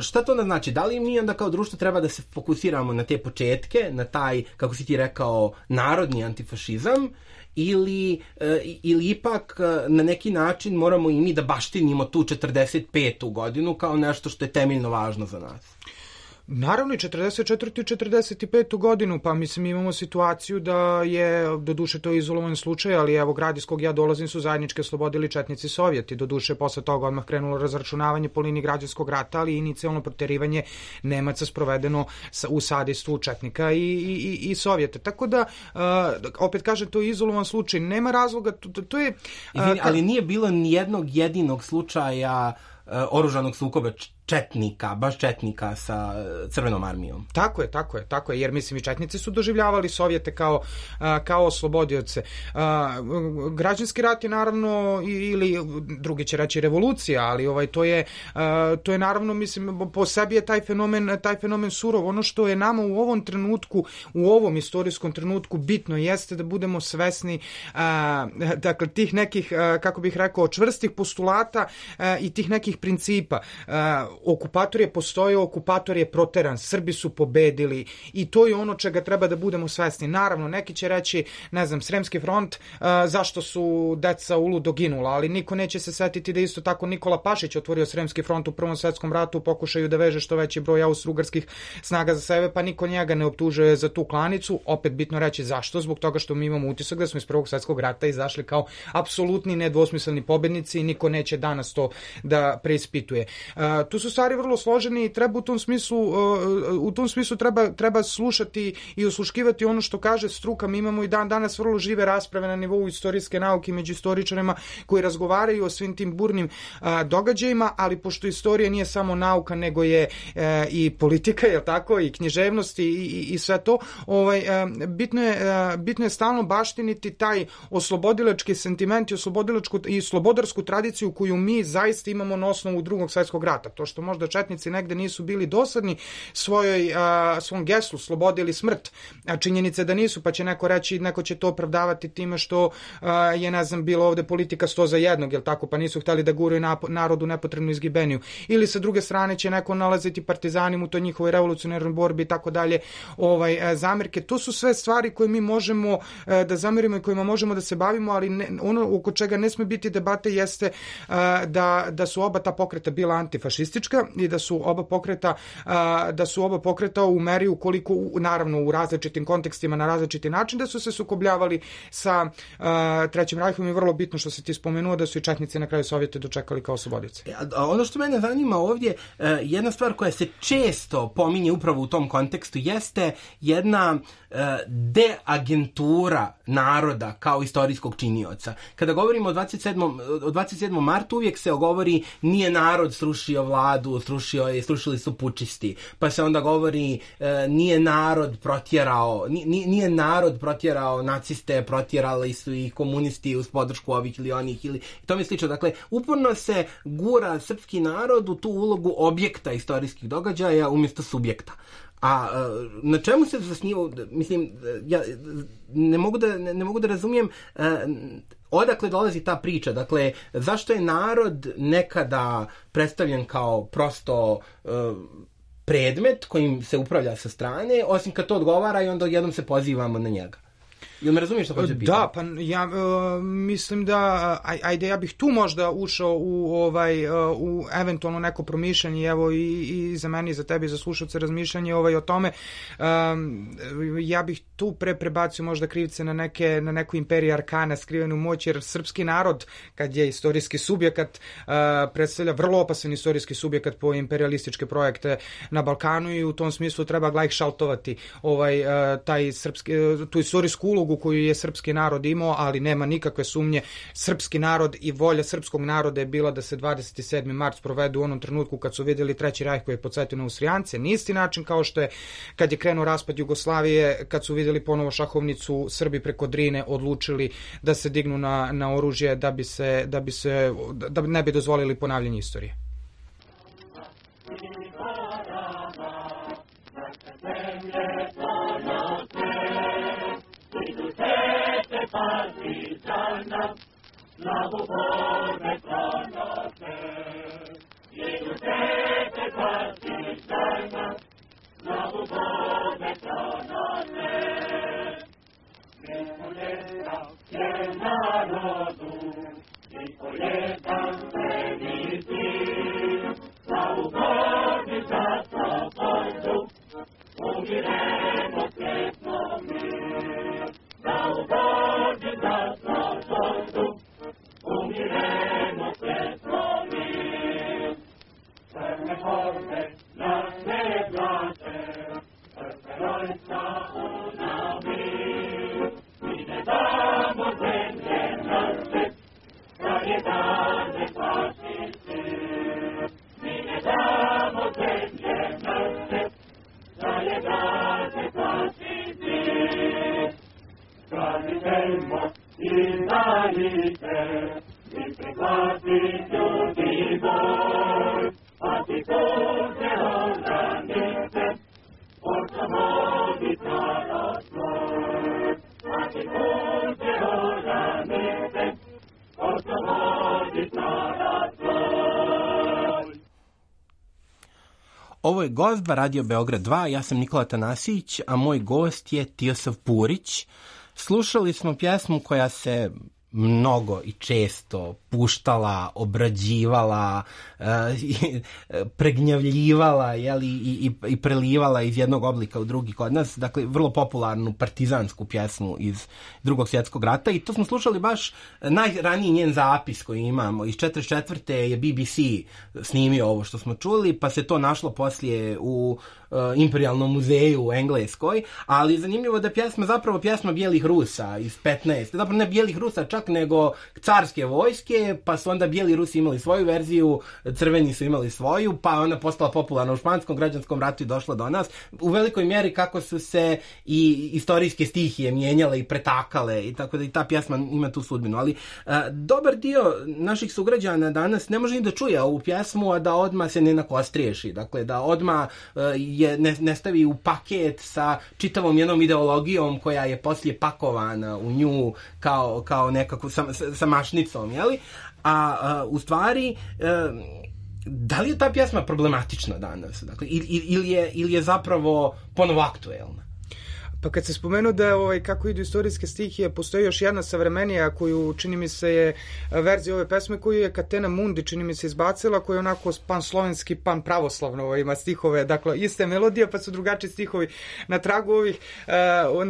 šta to onda znači? Da li mi onda kao društvo treba da se fokusiramo na te početke, na taj, kako si ti rekao, narodni antifašizam, ili ipak na neki način moramo i mi da baštinimo tu 45. godinu kao nešto što je temeljno važno za nas? Naravno i 44. i 45. godinu, pa mislim imamo situaciju da je, doduše to je izolovan slučaj, ali evo grad iz kog ja dolazim su zajednički oslobodili četnici Sovjeti, doduše posle toga odmah krenulo razračunavanje po liniji građanskog rata, ali inicijalno proterivanje Nemaca sprovedeno u sadejstvu četnika i Sovjeta. Tako da, opet kažem, to je izolovan slučaj, nema razloga, to je... Ali nije bilo nijednog jedinog slučaja oružanog sukoba baš četnika sa Crvenom armijom. Tako je, jer mislim i četnici su doživljavali Sovjete kao oslobodioce. Građanski rat je naravno, ili drugi će reći revolucija, ali to je naravno, mislim, po sebi je taj fenomen surov. Ono što je nama u ovom trenutku, u ovom istorijskom trenutku bitno jeste da budemo svesni dakle tih nekih, kako bih rekao, čvrstih postulata i tih nekih principa. okupator je postojao, okupator je proteran, Srbi su pobedili i to je ono čega treba da budemo svesni. Naravno, neki će reći, ne znam, Sremski front, zašto su deca uludo ginula, ali niko neće se setiti da isto tako Nikola Pašić otvorio Sremski front u Prvom svetskom ratu u pokušaju da veže što veći broj austrougarskih snaga za sebe, pa niko njega ne optužuje za tu klanicu. Opet bitno reći zašto, zbog toga što mi imamo utisak da smo iz Prvog svetskog rata izašli kao apsolutni nedvosmisleni pobednici i niko neće danas to da preispituje. Tu su stvari vrlo složeni i treba u tom smislu treba slušati i osluškivati ono što kaže struka. Mi imamo i danas vrlo žive rasprave na nivou istorijske nauke među istoričarima koji razgovaraju o svim tim burnim događajima, ali pošto istorija nije samo nauka, nego je i politika, je tako, i književnost i sve to, bitno je stalno baštiniti taj oslobodilački sentiment i slobodarsku tradiciju koju mi zaista imamo na osnovu Drugog svjetskog rata. To što možda četnici negde nisu bili dosadni svom geslu slobode ili smrt, a činjenice da nisu, pa će neko reći, neko će to opravdavati time što je, ne znam, bilo ovde politika 100 za jednog, jel tako, pa nisu hteli da guraju narodu nepotrebnu izgibeniju. Ili sa druge strane će neko nalaziti partizanima u toj njihovoj revolucionarnoj borbi i tako dalje, zamerke. To su sve stvari koje mi možemo da zamerimo i kojima možemo da se bavimo, ali ono oko čega ne sme biti debate jeste da su oba ta pokreta bila antifašistička i da su oba pokreta u meri ukoliko, naravno u različitim kontekstima na različiti način, da su se sukobljavali sa Trećim rajhom i vrlo bitno što se ti spomenuo da su i četnici na kraju Sovjete dočekali kao oslobodice. Ono što mene zanima ovdje, jedna stvar koja se često pominje upravo u tom kontekstu jeste jedna deagentura naroda kao istorijskog činioca. Kada govorimo o 27. martu, uvijek se govori nije narod srušio vladu, srušili su pučisti. Pa se onda govori nije narod protjerao naciste, protjerali su i komunisti uz podršku ovih ili onih ili to mi slično. Dakle, uporno se gura srpski narod u tu ulogu objekta istorijskih događaja umjesto subjekta. A na čemu se zasniva, mislim, ja ne mogu da razumijem odakle dolazi ta priča. Dakle, zašto je narod nekada predstavljen kao prosto predmet kojim se upravlja sa strane, osim kad to odgovara i onda jednom se pozivamo na njega. Jel me razumiješ što hoće pitati? Da, pa ja mislim da, ajde, ja bih tu možda ušao u eventualno neko promišljanje, evo i za meni, i za tebe, i za slušalce razmišljanje o tome. Ja bih tu prebacio možda krivce na neku imperiju arkana, skrivenu moć, jer srpski narod, kad je istorijski subjekat, predstavlja vrlo opasan istorijski subjekat po imperialističke projekte na Balkanu i u tom smislu treba glajhšaltovati tu istorijsku ulogu koju je srpski narod imao, ali nema nikakve sumnje, srpski narod i volja srpskog naroda je bila da se 27. mart provedu u onom trenutku kad su vidjeli Treći rajh koji je podsjetio na Austrijance, na isti način kao što je kad je krenuo raspad Jugoslavije, kad su vidjeli ponovo šahovnicu, Srbi preko Drine odlučili da se dignu na oružje da ne bi dozvolili ponavljanje istorije. Partizana, slavu borbe pronose. Jedu tete partizana, slavu borbe pronose. Niko jedan je narodu, niko jedan veliki, slavu borbe za slobodu, umiremo sretno mi. Slavu borbe za slobodu, umiremo sretno Ovo je Gozba, Radio Beograd 2, ja sam Nikola Tanasić, a moj gost je Tiosav Purić. Slušali smo pjesmu koja se mnogo i često puštala, obrađivala, pregnjavljivala, jeli, i prelivala iz jednog oblika u drugi kod nas. Dakle, vrlo popularnu partizansku pjesmu iz Drugog svjetskog rata i to smo slušali baš najraniji njen zapis koji imamo. Iz 44. je BBC snimio ovo što smo čuli, pa se to našlo poslije u Imperijalnom muzeju u Engleskoj, ali zanimljivo da je pjesma zapravo pjesma bijelih Rusa iz 15. Zapravo ne bijelih Rusa čak, nego carske vojske, pa su onda bijeli Rusi imali svoju verziju, crveni su imali svoju, pa ona postala popularna u španskom građanskom ratu i došla do nas. U velikoj mjeri kako su se i istorijske stihije mijenjale i pretakale, i tako da i ta pjesma ima tu sudbinu. Ali dobar dio naših sugrađana danas ne može ni da čuje ovu pjesmu, a da odmah se ne nakostriješi. Dakle, da odmah ne stavi u paket sa čitavom jednom ideologijom koja je poslije pakovana u nju kao nekako sa mašnicom, jeli? A u stvari, da li je ta pjesma problematična danas? Dakle, ili je zapravo ponovo aktuelna? Pa kad se spomenuo da kako idu istorijske stihije, postoji još jedna savremenija koju, čini mi se, je verzija ove pesme koju je Katena Mundi, čini mi se, izbacila, koja je onako pan-slovenski, pan-pravoslavno ima stihove, dakle, iste melodije, pa su drugačiji stihovi na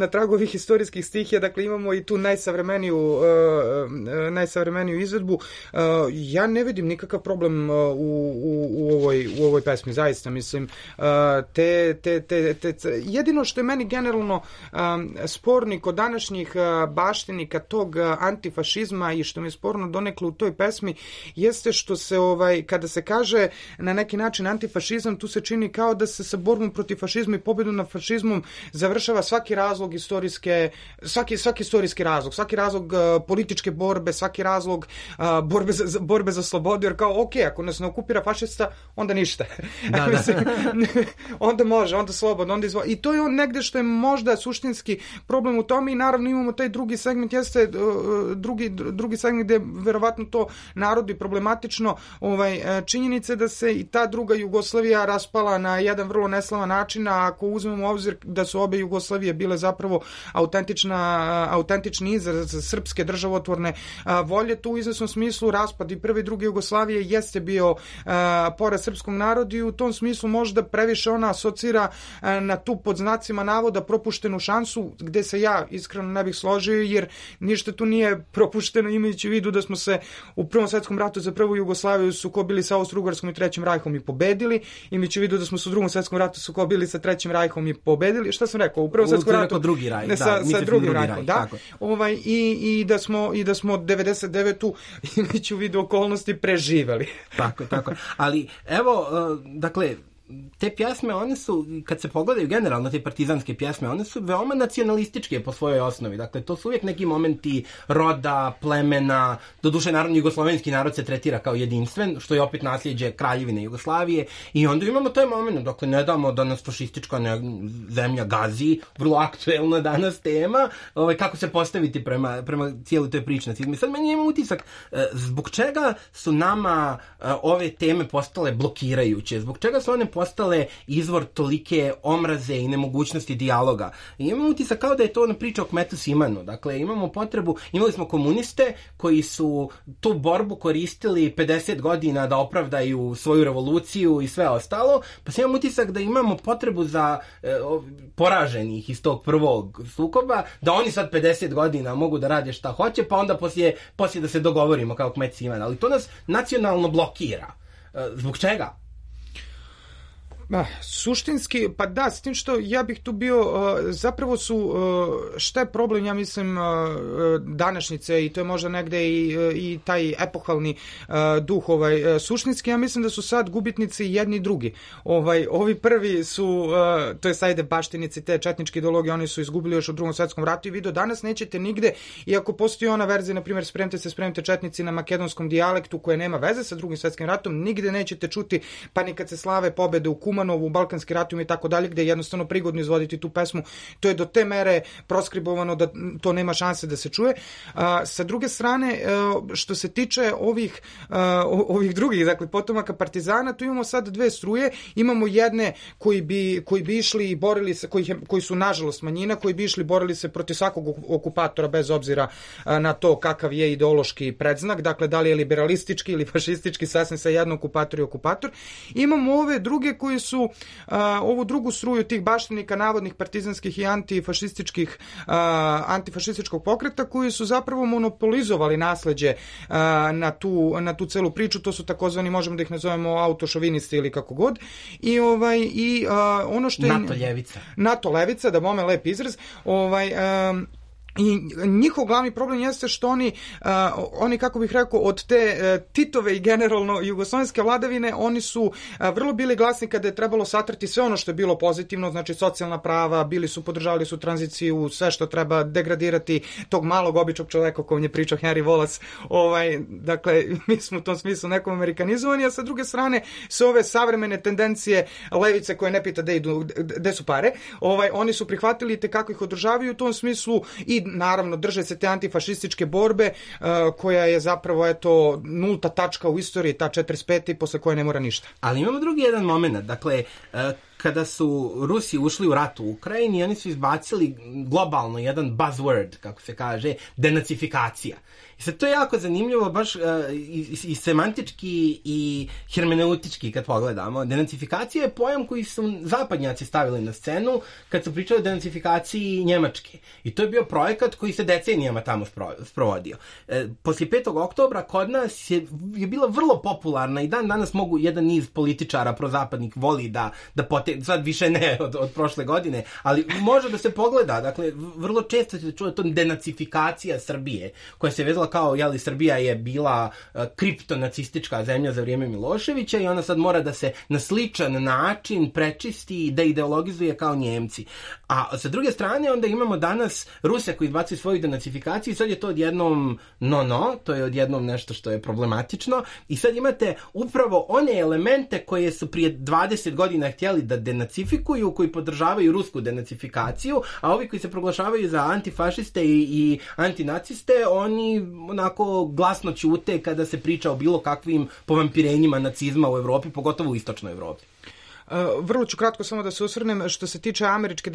tragu ovih historijskih stihija. Dakle, imamo i tu najsavremeniju izvedbu. Ja ne vidim nikakav problem u ovoj pesmi, zaista, mislim. Jedino što je meni generalno sporni kod današnjih baštinika tog antifašizma i što mi je sporno donekle u toj pesmi jeste što se kada se kaže na neki način antifašizam, tu se čini kao da se sa borbom protiv fašizma i pobjedom nad fašizmom završava svaki razlog svaki istorijski razlog, svaki razlog političke borbe, svaki razlog borbe za slobodu, jer kao ako nas ne okupira fašista, onda ništa. Da. Onda može, onda slobodno, onda izvoli. I to je on negde što je možda suštinski problem u tome i naravno imamo taj drugi segment, jeste drugi segment gde verovatno to narodi problematično, činjenice da se i ta druga Jugoslavija raspala na jedan vrlo neslavan način, a ako uzmemo u obzir da su obe Jugoslavije bile zapravo autentični izraz srpske državotvorne volje, tu u izvesnom smislu raspad i prve i druge Jugoslavije jeste bio poraz srpskog naroda i u tom smislu možda previše ona asocira na tu pod znacima navoda propuštenu šansu, gde se ja iskreno ne bih složio, jer ništa tu nije propušteno, imajući u vidu da smo se u Prvom svjetskom ratu za prvu Jugoslaviju sukobili sa Austro-Ugarskom i Trećim rajhom i pobedili, imajući u vidu da smo se u Drugom svjetskom ratu sukobili sa Trećim rajhom i pobedili. Šta sam rekao? U Prvom svjetskom ratu drugi raj, sa drugim rajhom, da. I da smo 99. imajući u vidu okolnosti preživeli. Tako. Ali evo, dakle, te pjesme, one su, kad se pogledaju generalno te partizanske pjesme, one su veoma nacionalističke po svojoj osnovi. Dakle, to su uvijek neki momenti roda, plemena, doduše naravno jugoslovenski narod se tretira kao jedinstven, što je opet nasljeđe Kraljevine Jugoslavije, i onda imamo taj moment, dakle, ne damo da nas fašistička zemlja gazi, vrlo aktuelna danas tema, kako se postaviti prema cijeloj toj pričnosti. Sad meni ima utisak, zbog čega su nama ove teme postale blokirajuće, zbog čega su one postale izvor tolike omraze i nemogućnosti dijaloga. I imamo utisak kao da je to ona priča o Kmetu Simanu. Dakle, imali smo komuniste koji su tu borbu koristili 50 godina da opravdaju svoju revoluciju i sve ostalo, pa se imamo utisak da imamo potrebu za poraženih iz tog prvog sukoba, da oni sad 50 godina mogu da rade šta hoće, pa onda poslije da se dogovorimo kao Kmet Siman. Ali to nas nacionalno blokira. Zbog čega? Suštinski, pa da, s tim što ja bih tu bio, zapravo su, šta je problem, ja mislim, današnjice, i to je možda negde i taj epohalni duh, suštinski, ja mislim da su sad gubitnici jedni i drugi. Ovi prvi su, to je sajde baštinici te četničke ideologije, oni su izgubili još u Drugom svjetskom ratu i vi do danas nećete nigde, iako postoji ona verzija, na primjer, spremite četnici na makedonskom dijalektu, koja nema veze sa Drugim svjetskim ratom, nigde nećete čuti, pa ni kad se slave pobede u Kumanovu, Balkanski ratovima i tako dalje, gde je jednostavno prigodno izvoditi tu pesmu. To je do te mere proskribovano da to nema šanse da se čuje. Sa druge strane, što se tiče ovih drugih, dakle, potomaka partizana, tu imamo sad dve struje. Imamo jedne koji bi išli i borili se, koji su nažalost manjina, koji bi išli i borili se protiv svakog okupatora bez obzira na to kakav je ideološki predznak, dakle, da li je liberalistički ili fašistički, sasvim sa jedno okupator i okupator. Imamo ove druge koji su ovu drugu struju tih baštenika navodnih partizanskih i antifašističkog pokreta koji su zapravo monopolizovali nasleđe na tu celu priču. To su takozvani, možemo da ih nazovemo autošovinisti ili kako god. Ono što je NATO levica, da bome lep izraz, i njihov glavni problem jeste što oni, kako bih rekao, od te Titove i generalno jugoslovenske vladavine, oni su vrlo bili glasni kada je trebalo satrati sve ono što je bilo pozitivno, znači socijalna prava, podržavali su tranziciju, sve što treba degradirati tog malog običnog čoveka o kojem je pričao Henry Wallace. Dakle, mi smo u tom smislu nekom amerikanizovani, a sa druge strane sve ove savremene tendencije levice koje ne pita gde su pare, oni su prihvatili te kako ih održavaju u tom smislu i naravno drže se te antifašističke borbe koja je zapravo nulta tačka u istoriji, ta 45. posle koje ne mora ništa. Ali imamo drugi jedan moment, dakle, kada su Rusi ušli u rat u Ukrajini, oni su izbacili globalno jedan buzzword, kako se kaže, denacifikacija. I sad to je jako zanimljivo, baš i semantički i hermeneutički kad pogledamo. Denacifikacija je pojam koji su zapadnjaci stavili na scenu kad su pričali o denacifikaciji Njemačke. I to je bio projekat koji se decenijama tamo sprovodio. Poslije 5. oktobra kod nas je bila vrlo popularna i dan danas mogu jedan niz političara prozapadnik voli da sad više ne od prošle godine, ali može da se pogleda, dakle, vrlo često se čuje to denacifikacija Srbije, koja se vezala kao, Srbija je bila kriptonacistička zemlja za vrijeme Miloševića i ona sad mora da se na sličan način prečisti i da ideologizuje kao Njemci. A sa druge strane onda imamo danas Ruse koji izbacuju svoju denacifikaciju i sad je to odjednom to je odjednom nešto što je problematično i sad imate upravo one elemente koje su prije 20 godina htjeli da denacifikuju, koji podržavaju rusku denacifikaciju, a ovi koji se proglašavaju za antifašiste i antinaciste, oni onako glasno ćute kada se priča o bilo kakvim povampirenjima nacizma u Evropi, pogotovo u istočnoj Evropi. Vrlo ću kratko samo da se osvrnem što se tiče američke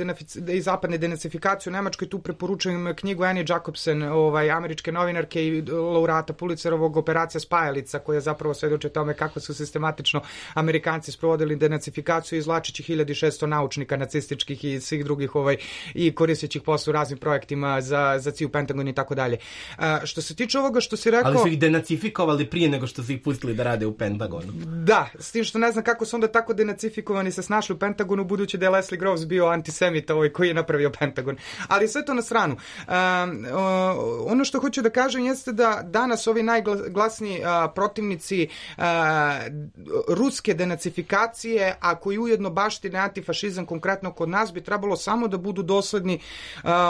i zapadne denacifikacije u Nemačkoj. Tu preporučujem knjigu Annie Jacobsen, američke novinarke i laureata Pulitzerovog, Operacija Spajalica, koja zapravo svedoči o tome kako su sistematično Amerikanci sprovodili denacifikaciju izvlačeći 1600 naučnika nacističkih i svih drugih i koristeći ih posle u raznim projektima za CIA, Pentagon i tako dalje. Što se tiče ovoga što si rekao... Ali su ih denacifikovali prije nego što su ih pustili da rade u Pentagonu. Da, s tim što ne znam kako su onda tako denacifikovani se snašli u Pentagonu, budući da je Leslie Groves bio antisemita koji je napravio Pentagon. Ali sve to na stranu. Ono što hoću da kažem jeste da danas ovi najglasniji protivnici ruske denacifikacije, a koji ujedno baštine antifašizam konkretno kod nas, bi trebalo samo da budu dosledni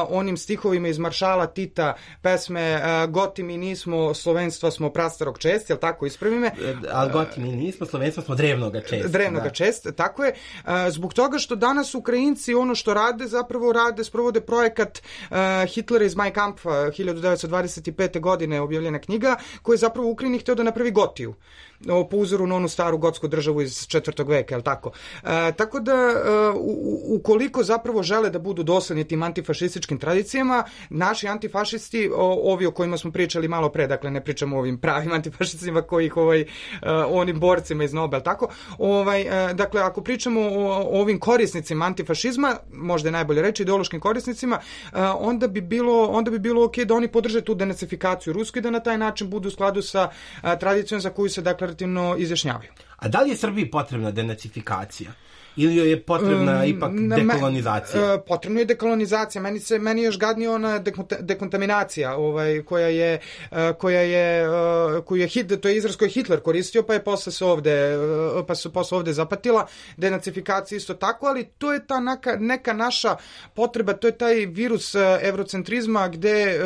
onim stihovima iz Maršala Tita, pesme Goti mi nismo, slovenstva smo prastarog čest, jel tako, ispravi me? Ali Goti mi nismo, slovenstva smo drevnoga čest. Drevnoga čest, tako je. Zbog toga što danas Ukrajinci ono što rade, sprovode projekat Hitlera iz Mein Kampf 1925. godine, objavljena knjiga, koja je zapravo u Ukrajini htio da napravi Gotiju, po uzoru na onu staru gotsku državu iz 4. veka, jel tako? Tako da, ukoliko zapravo žele da budu dosledni tim antifašističkim tradicijama, naši antifašisti, ovi o kojima smo pričali malo pre, dakle ne pričamo o ovim pravim antifašistima kojih onim borcima iz Nobel, tako? Dakle, ako pričamo o ovim korisnicima antifašizma, možda je najbolje reći ideološkim korisnicima, onda bi bilo ok da oni podrže tu denacifikaciju rusku i da na taj način budu u skladu sa tradicijom za koju se deklarativno izjašnjavaju. A da li je Srbiji potrebna denacifikacija? Ili joj je potrebna ipak dekolonizacija? Potrebna je dekolonizacija. Meni je još gadnije ona dekontaminacija, to je izraz koji je Hitler koristio, pa je posle se ovde zapatila. Denacifikacija isto tako, ali to je ta neka naša potreba, to je taj virus evrocentrizma gde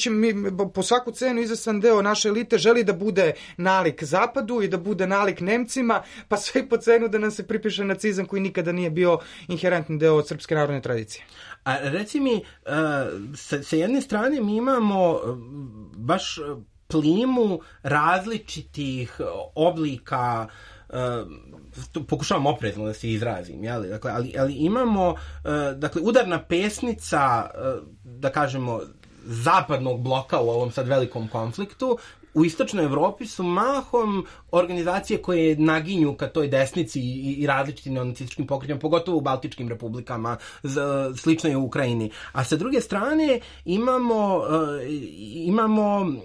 mi po svaku cenu izvestan deo naše elite želi da bude nalik zapadu i da bude nalik Nemcima, pa sve po cenu da nam se pripiše nacizam koji nikada nije bio inherentni deo srpske narodne tradicije. A reci mi, sa jedne strane mi imamo baš plimu različitih oblika, pokušavam oprezno da se izrazim, jeli? Dakle, ali imamo udarna pesnica, da kažemo, zapadnog bloka u ovom sad velikom konfliktu. U istočnoj Evropi su mahom organizacije koje naginju ka toj desnici i različitim neonacističkim pokretima, pogotovo u Baltičkim republikama, slično je u Ukrajini. A sa druge strane imamo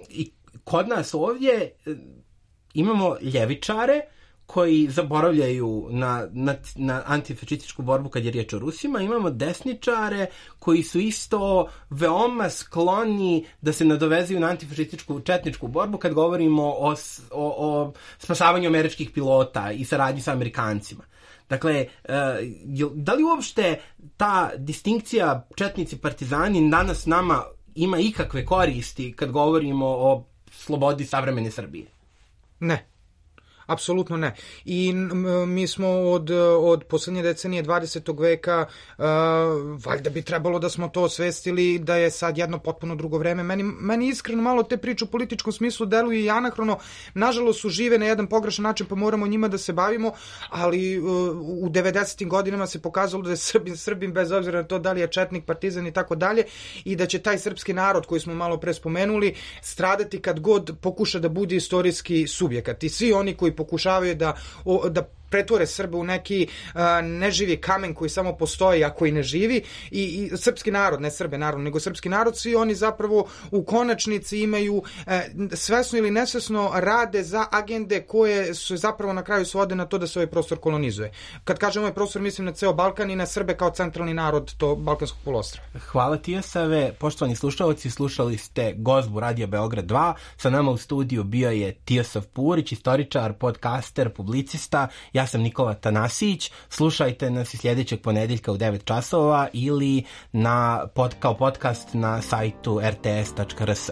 i kod nas ovdje imamo ljevičare koji zaboravljaju na antifašističku borbu kad je riječ o Rusima. Imamo desničare koji su isto veoma skloni da se nadovezuju na antifašističku četničku borbu kad govorimo o spasavanju američkih pilota i saradnji sa Amerikancima. Dakle, da li uopšte ta distinkcija četnici partizani danas nama ima ikakve koristi kad govorimo o slobodi savremene Srbije? Ne. Apsolutno ne. I mi smo od poslednje decenije 20. veka, valjda bi trebalo da smo to osvestili da je sad jedno potpuno drugo vreme. Meni iskreno malo te priče u političkom smislu deluju i anahrono. Nažalost su žive na jedan pogrešan način, pa moramo njima da se bavimo, ali u 90. godinama se pokazalo da je Srbin bez obzira na to da li je četnik, partizan i tako dalje, i da će taj srpski narod koji smo malo pre spomenuli stradati kad god pokuša da bude istorijski subjekat. I svi oni koji pokušavaju da pretvore Srbe u neki neživi kamen koji samo postoji, a koji ne živi, i srpski narod, ne Srbe naravno, nego srpski narod, svi oni zapravo u konačnici imaju svesno ili nesvesno rade za agende koje su zapravo na kraju svode na to da se ovaj prostor kolonizuje. Kad kažem ovaj prostor, mislim na ceo Balkan i na Srbe kao centralni narod to Balkanskog poluostrva. Hvala Tijasave. Poštovani slušalci, slušali ste Gozbu Radija Beograd 2. Sa nama u studiju bio je Tijasav Purić, istoričar, podcaster, publicista. Ja sam Nikola Tanasić. Slušajte nas i sljedećeg ponedeljka u 9 časova ili kao podcast na sajtu rts.rs.